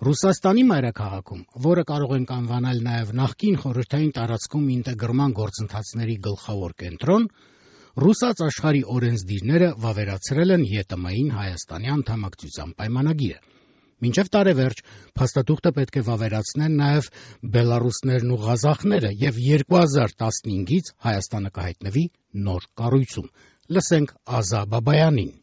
Ռուսաստանի մայրաքաղաքում, որը կարող ենք անվանել նաև նախկին խորհրդային տարածքում ինտեգրման գործընթացների գլխավոր կենտրոն, ռուսաց աշխարհի օրենսդիրները վավերացրել են ԵՏՄ-ին Հայաստանի անդամակցության պայմանագիրը։ Մինչև տարեվերջ փաստաթուղթը պետք է վավերացնեն նաև բելառուսներն ու ղազախները և 2015-ից Հայաստանը կհայտնվի նոր կառույցում։ Լսենք Ազա Բաբայանին։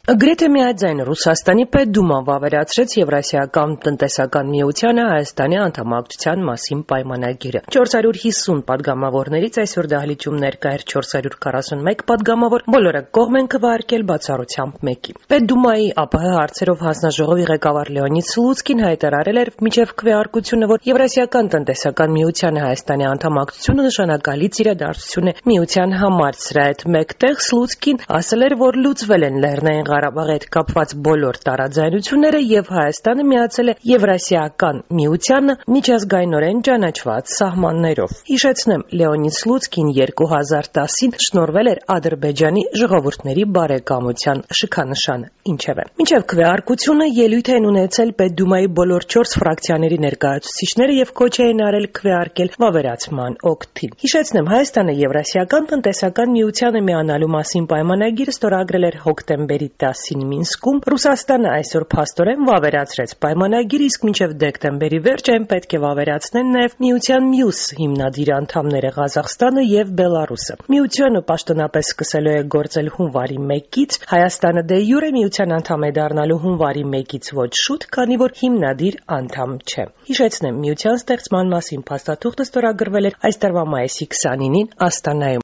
Գրեթե միաձայն Ռուսաստանի Պետդուման վավերացրեց Եվրասիական տնտեսական միությանը Հայաստանի անդամակցության մասին պայմանագիրը։ 450 падգամավորներից այսօր դահլիճում ներկա էր 441 падգամավոր, բոլորը կողմ են քվեարկել բացառությամբ մեկի։ Պետդումայի ԱՊՀ հարցերով հանձնաժողովի ղեկավար Լեոնիդ Սլուցկին հայտարարել էր մինչև քվեարկությունը, որ Եվրասիական տնտեսական միությանը Հայաստանի անդամակցությունը նշանակալից իրադարձություն է միության համար։ Սրա հետ մեկտեղ Սլուցկին ասել էր, որ լուծվել են Լեռնային Ղարաբաղի հետ կապված բոլոր տարաձայնությունները եւ Հայաստանը միացել է Եվրասիական միությանը միջազգայինորեն ճանաչված սահմաններով։ Հիշեցնեմ, Լեոնիդ Սլուցկին 2010-ին շնորհվել էր Ադրբեջանի ժողովուրդների բարեկամության շքանշանը։ Ինչևէ, մինչև քվեարկությունը ելույթ են ունեցել Պետդումայի բոլոր 4 ֆրակցիաների ներկայացուցիչները եւ քոչ էին արել քվեարկել վավերացման օգտին։ Հիշեցնեմ, Հայաստանը Եվրասիական տնտեսական միությանը միանալու մասին պայմանագիրը ստորագրել էր հոկտեմբերի 10-ին Մինսկում, Ռուսաստանը այսօր փաստորեն վավերացրեց պայմանագիրը, իսկ մինչև դեկտեմբերի վերջ այն պետք է վավերացնեն նաև միության մյուս հիմնադիր անդամները Ղազախստանը եւ Բելառուսը։ Միությունը պաշտոնապես սկսելու է գործել հունվարի 1-ից, Հայաստանը դե յուրե միության անդամ է դառնալու հունվարի 1-ից ոչ շուտ, քանի որ հիմնադիր անդամ չէ։ Հիշեցնեմ, միության ստեղծման մասին փաստաթուղթը ստորագրվել էր այս տարվա մայիսի 29-ին Աստանայում։